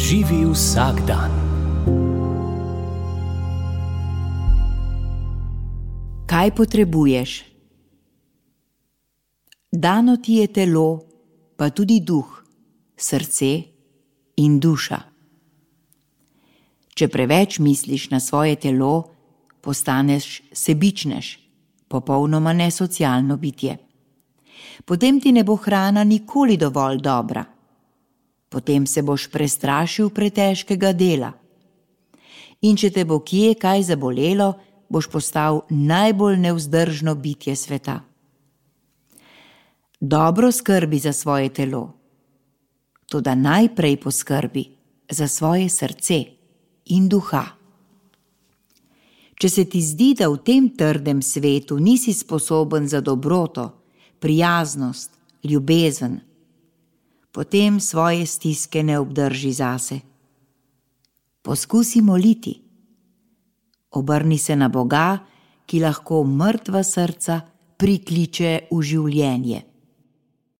Živi vsak dan. Kaj potrebuješ? Dano ti je telo, pa tudi duh, srce in duša. Če preveč misliš na svoje telo, postaneš sebičnež, popolnoma nesocialno bitje. Potem ti ne bo hrana nikoli dovolj dobra. Potem se boš prestrašil pretežkega dela. In če te bo kje kaj zabolelo, boš postal najbolj nevzdržno bitje sveta. Dobro skrbi za svoje telo, toda najprej poskrbi za svoje srce in duha. Če se ti zdi, da v tem trdem svetu nisi sposoben za dobroto, prijaznost, ljubezen, potem svoje stiske ne obdrži zase. Poskusi moliti. Obrni se na Boga, ki lahko mrtva srca prikliče v življenje.